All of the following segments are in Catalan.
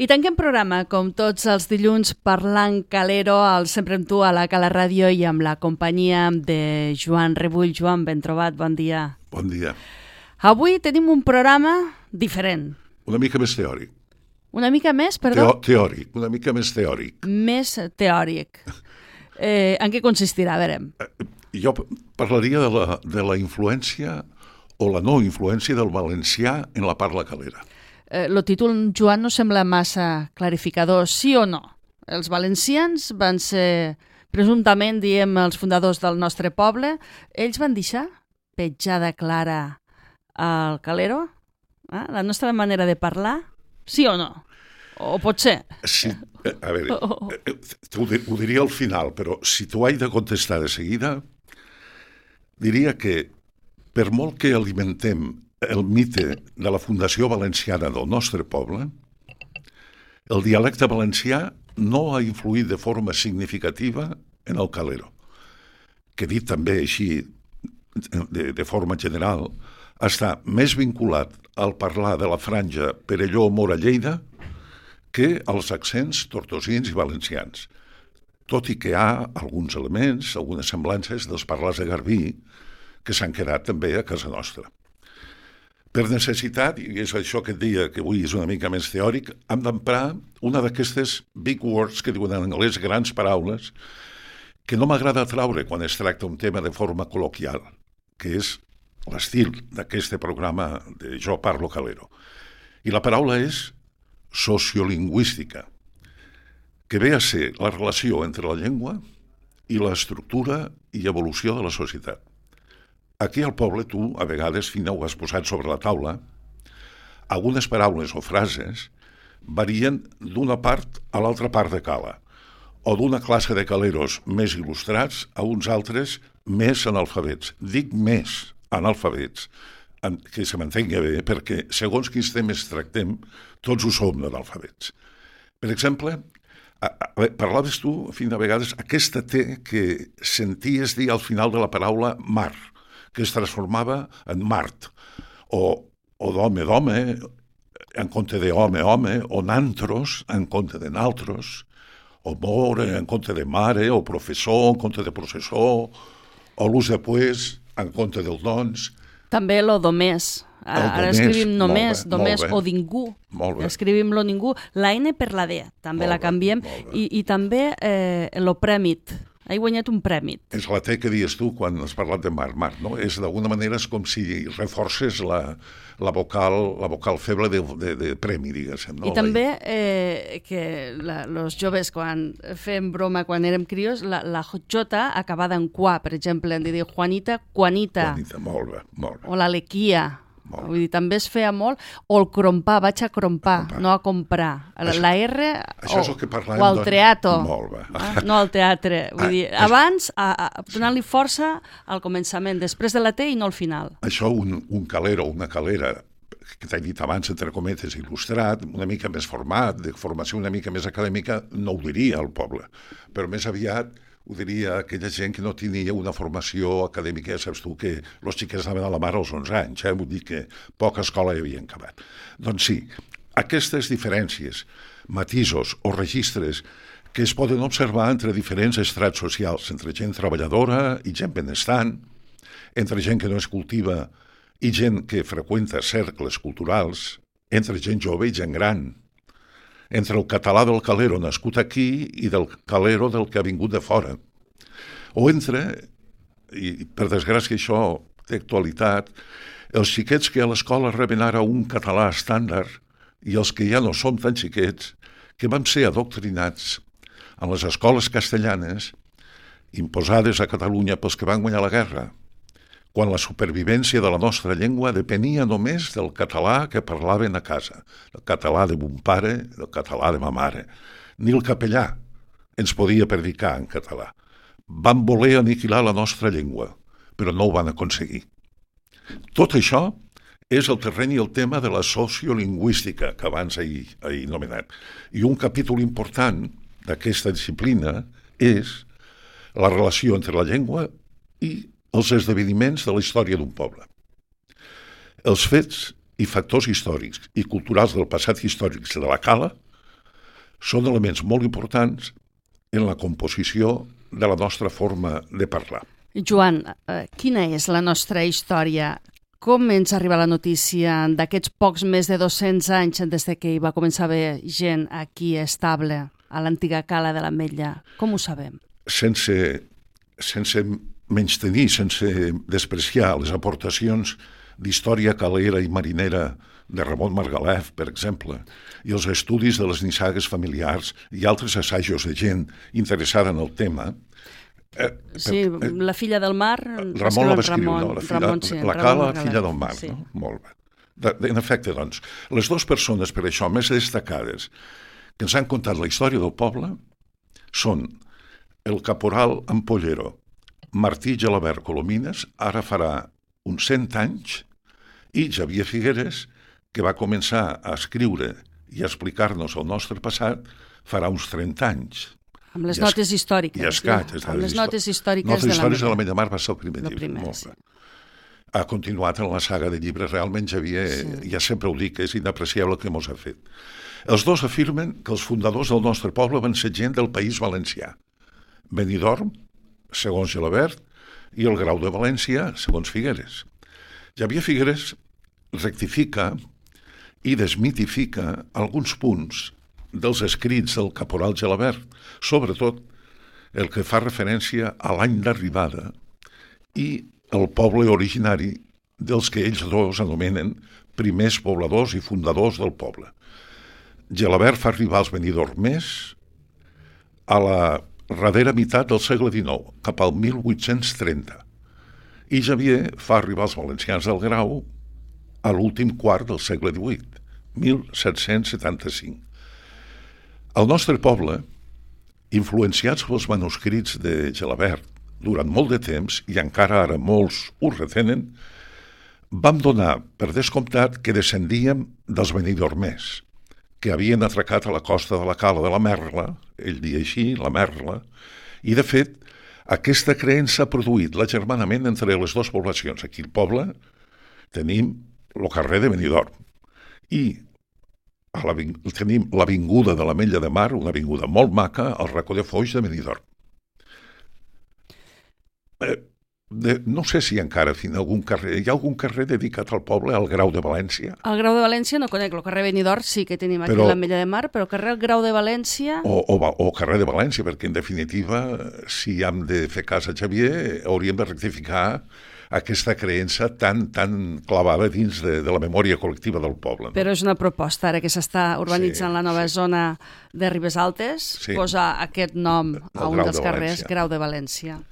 I tanquem programa, com tots els dilluns, parlant calero, al Sempre amb tu, a la Cala Ràdio i amb la companyia de Joan Rebull. Joan, ben trobat, bon dia. Bon dia. Avui tenim un programa diferent. Una mica més teòric. Una mica més, perdó? Teòric, una mica més teòric. Més teòric. En què consistirà? A veure. Jo parlaria de la influència o la no influència del valencià en la parla calera. El títol, Joan, no sembla massa clarificador, sí o no? Els valencians van ser, presumptament, diem, els fundadors del nostre poble. Ells van deixar petjada clara al calero? La nostra manera de parlar? Sí o no? O potser? Sí, a veure, ho diria al final, però si t'ho haig de contestar de seguida, diria que per molt que alimentem el mite de la Fundació Valenciana del nostre poble, el dialecte valencià no ha influït de forma significativa en el calero, que dit també així, de forma general, està més vinculat al parlar de la franja Perelló-Mora-Lleida que als accents tortosins i valencians, tot i que hi ha alguns elements, algunes semblances dels parlars de Garbí que s'han quedat també a casa nostra. Per necessitat, i és això que et deia que avui és una mica més teòric, hem d'emprar una d'aquestes big words que diuen en anglès, grans paraules, que no m'agrada traure quan es tracta un tema de forma col·loquial, que és l'estil d'aquest programa de Jo Parlo Calero. I la paraula és sociolingüística, que ve a ser la relació entre la llengua i l'estructura i evolució de la societat. Aquí al poble tu, a vegades, Fina, ho has posat sobre la taula, algunes paraules o frases varien d'una part a l'altra part de cala, o d'una classe de caleros més il·lustrats a uns altres més analfabets. Dic més analfabets, que se m'entengui bé, perquè segons quins temes tractem, tots ho som d'analfabets. Per exemple, parlaves tu, Fina, a vegades, aquesta T que senties dir al final de la paraula mar, que es transformava en Mart, o d'home, d'home, en compte de home, home, o nantros, en compte de naltros, o more, en compte de mare, o professor, en compte de processor, o l'ús de pues, en compte del doncs. També lo domés. Ara escrivim només, domés o ningú. Escrivim lo ningú. La N per la D, també la canviem. I també lo prèmit. He guanyat un prèmit. És la T que dius tu quan has parlat de mar, no? És d'alguna manera és com si reforces la vocal feble de premi, diguéssim. No? I també que els joves, quan fem broma, quan érem crios, la J acabada en qua, per exemple, hem de dir Juanita, Juanita. Juanita, molt bé. O l'Alequia. Vull dir, també es feia molt, o el crompar, vaig a crompar, no a comprar. La R o al teatro, no al teatre. Vull dir, abans, donant-li força al començament, després de la T i no al final. Això, un calero, una calera, que t'he dit abans, entre cometes, il·lustrat, una mica més format, de formació una mica més acadèmica, no ho diria al poble, però més aviat ho diria aquella gent que no tenia una formació acadèmica, ja saps tu que els xiquets anaven a la mar als 11 anys, vull dir que poca escola hi havien acabat. Doncs sí, aquestes diferències, matisos o registres que es poden observar entre diferents estrats socials, entre gent treballadora i gent benestant, entre gent que no es cultiva i gent que freqüenta cercles culturals, entre gent jove i gent gran, entre el català del calero nascut aquí i del calero del que ha vingut de fora. O entre, i per desgràcia això té actualitat, els xiquets que a l'escola reben ara un català estàndard i els que ja no som tan xiquets, que vam ser adoctrinats en les escoles castellanes imposades a Catalunya pels que van guanyar la guerra, quan la supervivència de la nostra llengua depenia només del català que parlaven a casa, el català de mon pare, el català de ma mare. Ni el capellà ens podia predicar en català. Van voler aniquilar la nostra llengua, però no ho van aconseguir. Tot això és el terreny i el tema de la sociolingüística que abans he anomenat. I un capítol important d'aquesta disciplina és la relació entre la llengua i els esdeveniments de la història d'un poble. Els fets i factors històrics i culturals del passat històric de la cala són elements molt importants en la composició de la nostra forma de parlar. Joan, quina és la nostra història? Com ens arriba la notícia d'aquests pocs més de 200 anys des que hi va començar a haver gent aquí estable, a l'antiga cala de l'Ametlla? Com ho sabem? Sense menystenir, sense despreciar les aportacions d'història calera i marinera de Ramon Margalef, per exemple, i els estudis de les nissagues familiars i altres assajos de gent interessada en el tema. La filla del mar... Ramon la va escriure, la Cala, filla del mar. Sí. No? Molt bé. En efecte, doncs, les dues persones, per això, més destacades, que ens han contat la història del poble, són el caporal Ampollero, Martí Gelabert Colomines, ara farà uns 100 anys, i Xavier Figueres, que va començar a escriure i a explicar-nos el nostre passat, farà uns 30 anys. Amb les notes històriques. I escat. Amb les notes històriques de l'Ametlla Mar va ser el primer llibre. Sí. Ha continuat en la saga de llibres. Realment, Xavier, ja sempre ho dic, és inapreciable el que mos ha fet. Els dos afirmen que els fundadors del nostre poble van ser gent del País Valencià. Benidorm, segons Gelabert, i el Grau de València, segons Figueres. Xavier Figueres rectifica i desmitifica alguns punts dels escrits del caporal Gelabert, sobretot el que fa referència a l'any d'arribada i el poble originari dels que ells dos anomenen primers pobladors i fundadors del poble. Gelabert fa arribar els benidormers a la darrera meitat del segle XIX, cap al 1830, i Xavier fa arribar els valencians del Grau a l'últim quart del segle XVIII, 1775. El nostre poble, influenciats pels manuscrits de Gelabert durant molt de temps, i encara ara molts ho retenen, vam donar per descomptat que descendíem dels benidormers, que havien atracat a la costa de la Cala de la Merla, ell dia així, la Merla, i de fet aquesta creença ha produït l'agermanament entre les dues poblacions. Aquí al poble tenim el carrer de Benidorm i tenim l'avinguda de l'Ametlla de Mar, una avinguda molt maca, al racó de Foix de Benidorm. No sé si encara hi ha algun carrer dedicat al poble, al Grau de València. El Grau de València no conec, el carrer Benidorm sí que tenim aquí l'Ametlla de Mar, però el carrer Grau de València... O carrer de València, perquè en definitiva, si hem de fer cas a Xavier, hauríem de rectificar aquesta creença tan clavada dins de la memòria col·lectiva del poble. No? Però és una proposta, ara que s'està urbanitzant la nova zona de Ribes Altes, posar aquest nom a un dels carrers, Grau de València.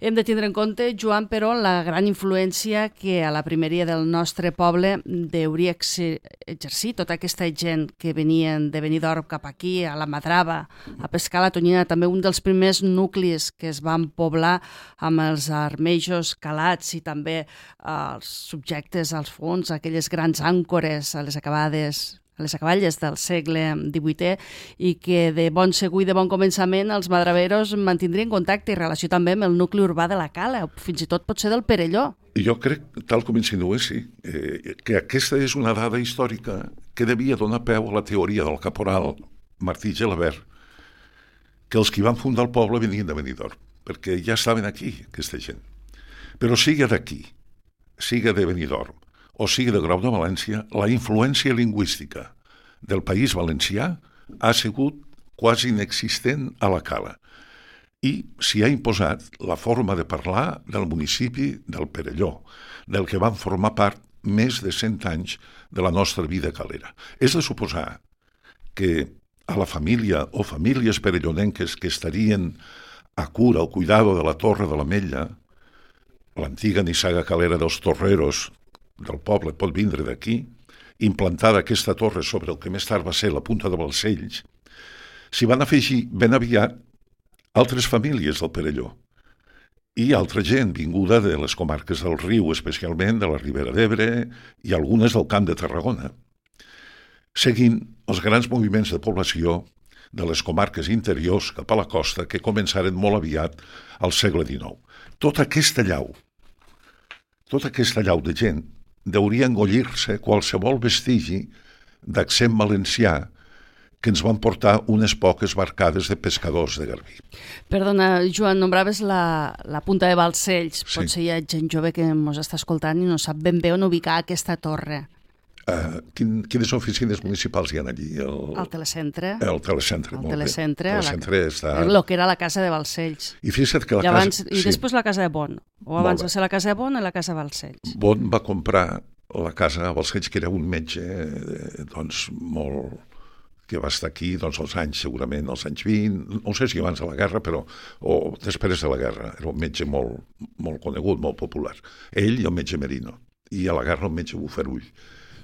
Hem de tindre en compte, Joan, però, la gran influència que a la primeria del nostre poble hauria exercir tota aquesta gent que venien de Benidorm cap aquí, a la Madrava, a pescar la tonyina, també un dels primers nuclis que es van poblar amb els armejos calats i també els subjectes als fons, aquelles grans àncores a les acaballes del segle XVIII, i que de bon segur i de bon començament els madraveros mantindrien contacte i relació també amb el nucli urbà de la Cala, fins i tot pot ser del Perelló. Jo crec, tal com insinués, sí, que aquesta és una dada històrica que devia donar peu a la teoria del caporal Martí Gelabert, que els qui van fundar el poble venien de Benidorm, perquè ja estaven aquí, aquesta gent. Però siga d'aquí, siga de Benidorm, o sigui de Grau de València, la influència lingüística del País Valencià ha sigut quasi inexistent a la Cala i s'hi ha imposat la forma de parlar del municipi del Perelló, del que van formar part més de 100 anys de la nostra vida calera. És de suposar que a la família o famílies perellonenques que estarien a cura o cuidado de la Torre de l'Ametlla, l'antiga nissaga calera dels torreros del poble pot vindre d'aquí, implantada aquesta torre sobre el que més tard va ser la Punta de Balcells, s'hi van afegir ben aviat altres famílies del Perelló i altra gent vinguda de les comarques del Riu, especialment de la Ribera d'Ebre i algunes del Camp de Tarragona, seguint els grans moviments de població de les comarques interiors cap a la costa que començaren molt aviat al segle XIX. Tota aquesta llau de gent deuria engollir-se qualsevol vestigi d'accent valencià que ens van portar unes poques barcades de pescadors de Garbí. Perdona, Joan, nombraves la punta de Balcells. Sí. Potser hi ha gent jove que ens està escoltant i no sap ben bé on ubicar aquesta torre. Quines oficines municipals hi ha allí? Al telecentre. El telecentre, molt bé. El telecentre està... El que era la casa de Balcells. I fixa't que I després la casa de Bon. O abans va ser la casa de Bon i la casa de Balcells. Bon va comprar la casa a Balcells, que era un metge doncs, molt... que va estar aquí doncs, els anys, segurament, els anys 20, no sé si abans de la guerra, però o després de la guerra. Era un metge molt, molt conegut, molt popular. Ell i el metge Merino. I a la guerra el metge Bufarull,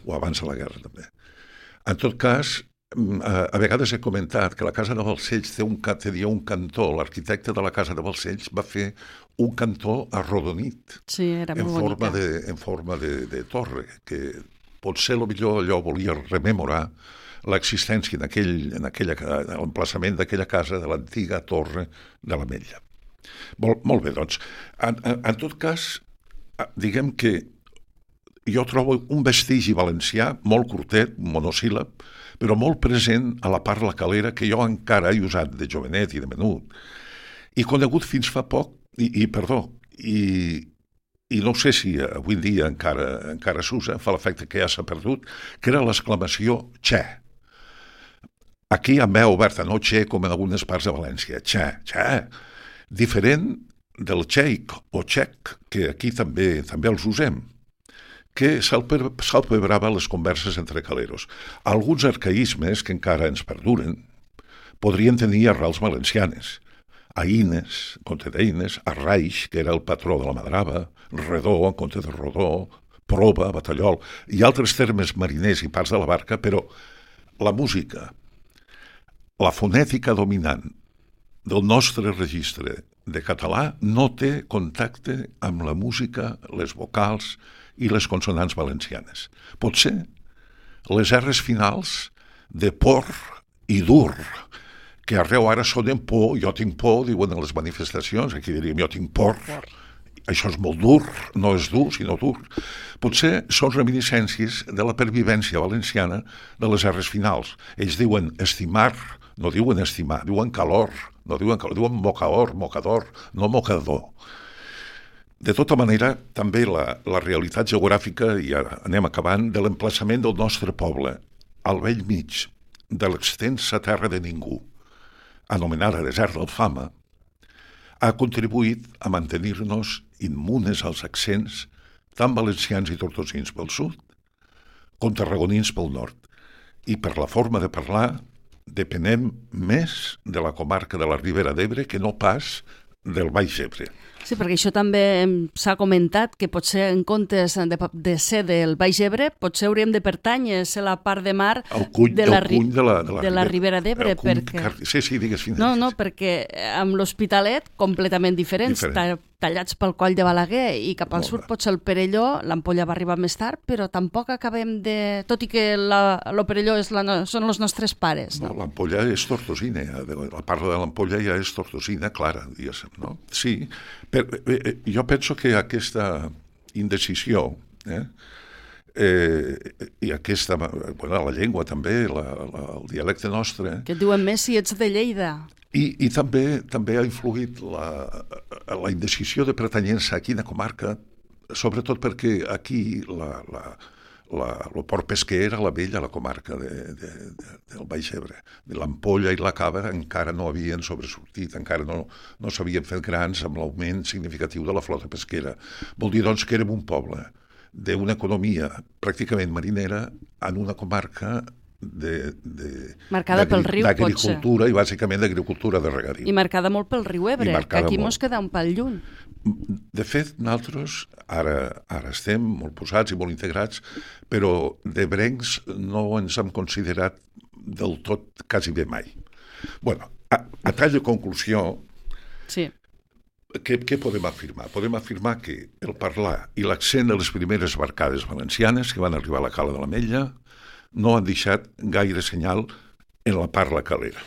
o abans de la guerra també. En tot cas, a vegades he comentat que la casa de Balcells tenia un cantó. L'arquitecte de la casa de Balcells va fer un cantó arrodonit. Sí, era molt bonica. En forma de torre, que potser millor allò volia rememorar l'existència en l'emplaçament d'aquella casa, de l'antiga torre de l'Ametlla. Molt bé, doncs. En tot cas, diguem que jo trobo un vestigi valencià molt curtet, monosíl·lab, però molt present a la parla calera que jo encara he usat de jovenet i de menut. I conegut fins fa poc, i no sé si avui en dia encara s'usa, fa l'efecte que ja s'ha perdut, que era l'exclamació «Txe». Aquí amb veu oberta, no «Txe» com en algunes parts de València, «Txe», «Txe». Diferent del «txeic» o «txec», que aquí també els usem, que salpebrava les converses entre caleros. Alguns arcaïsmes que encara ens perduren podrien tenir arrels valencianes. Aïnes, en compte d'Eines, Arraix, que era el patró de la Madrava, Redó, en compte de Rodó, Proba, Batallol, i altres termes mariners i parts de la barca, però la música, la fonètica dominant del nostre registre de català no té contacte amb la música, les vocals i les consonants valencianes. Potser les R's finals de por i dur, que arreu ara sonen por, jo tinc por, diuen en les manifestacions, aquí diríem jo tinc por, això és molt dur, no és dur, sinó dur. Potser són reminiscències de la pervivència valenciana de les R's finals. Ells diuen estimar, no diuen estimar, diuen calor, no diuen calor, diuen mocador, no mocador. De tota manera, també la realitat geogràfica, i ara anem acabant, de l'emplaçament del nostre poble, al vell mig de l'extensa terra de ningú, anomenada desert del Fama, ha contribuït a mantenir-nos immunes als accents tant valencians i tortosins pel sud com tarragonins pel nord. I per la forma de parlar depenem més de la comarca de la Ribera d'Ebre que no pas del Baix Ebre. Sí, perquè això també s'ha comentat, que potser en comptes de ser del Baix Ebre, potser hauríem de pertànyer a ser la part de mar de la Ribera d'Ebre. Sí, digues fins. No, perquè amb l'Hospitalet, completament diferents, tallats pel coll de Balaguer, i cap al sud potser el Perelló, l'Ampolla va arribar més tard, però tampoc acabem de... Tot i que el Perelló són els nostres pares. No, l'Ampolla és tortosina, la part de l'Ampolla ja és tortosina, clara, diguéssim, no? Sí, jo penso que aquesta indecisió i aquesta, la llengua també, el dialecte nostre... Que et diuen més si ets de Lleida. I també ha influït la indecisió de pertanyença a quina comarca, sobretot perquè aquí el port pesquer era la vella, la comarca del Baix Ebre. L'Ampolla i la Cava encara no havien sobresortit, encara no s'havien fet grans amb l'augment significatiu de la flota pesquera. Vol dir, doncs, que érem un poble d'una economia pràcticament marinera en una comarca marcada pel riu, d'agricultura i bàsicament d'agricultura de regadiu. I marcada molt pel riu Ebre, que aquí mos queda un pal lluny. De fet, nosaltres ara estem molt posats i molt integrats, però d'ebrencs no ens hem considerat del tot quasi bé mai. Bueno, a tall de conclusió, sí. Què podem afirmar? Podem afirmar que el parlar i l'accent de les primeres barcades valencianes que van arribar a la Cala de l'Ametlla no han deixat gaire senyal en la parla calera.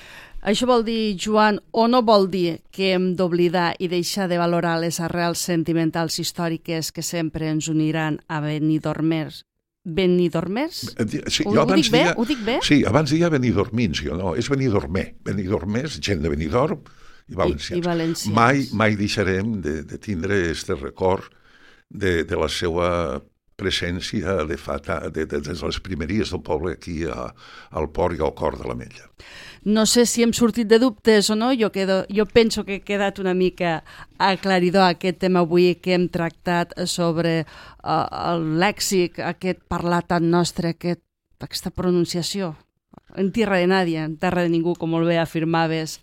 Això vol dir, Joan, o no vol dir que hem d'oblidar i deixar de valorar les arrels sentimentals històriques que sempre ens uniran a Benidorm benidormers? Sí, Ho dic bé? Ho dic bé? Sí, abans deia benidormins, jo no, és benidormer. Benidormers, gent de Benidorm i valencians. I valencians. Mai deixarem de tindre aquest record de la seva presència des de les primeries del poble aquí al port i al cor de l'Ametlla. No sé si hem sortit de dubtes o no, jo penso que he quedat una mica aclaridor aquest tema avui que hem tractat sobre el lèxic, aquest parlar tan nostre, aquesta pronunciació. En tierra de nadie, en terra de ningú, com molt bé afirmaves,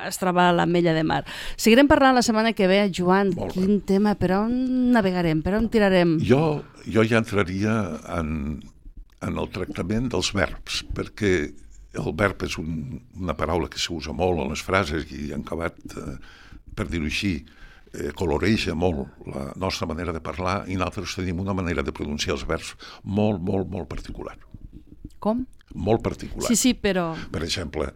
es troba a l'Ametlla de Mar. Seguirem parlant la setmana que ve, Joan, quin tema, per on navegarem, per on tirarem? Jo ja entraria en el tractament dels verbs, perquè el verb és una paraula que s'usa molt en les frases i en acabat, per dir-ho així, coloreja molt la nostra manera de parlar i nosaltres tenim una manera de pronunciar els verbs molt, molt, molt particular. Com? Molt particular. Sí, però... Per exemple,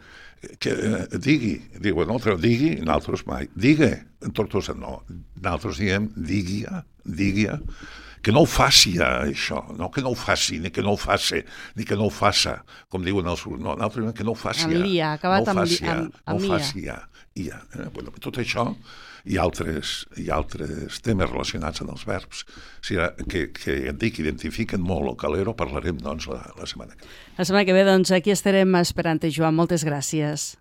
digui, diuen altres digui, nosaltres mai. Digue, en Tortosa no. Nosaltres diem digui-a, que no ho faci això, no que no ho faci, ni que no ho faci, ni que no ho faça, com diuen els... No, nosaltres diem que no ho faci. Amb l'ia, acabat amb l'ia. No ho faci ja. Bueno, tot això i altres temes relacionats amb els verbs que identifiquen molt el calero, parlarem doncs la setmana que ve. La setmana que ve, doncs, aquí estarem esperant-te, Joan. Moltes gràcies.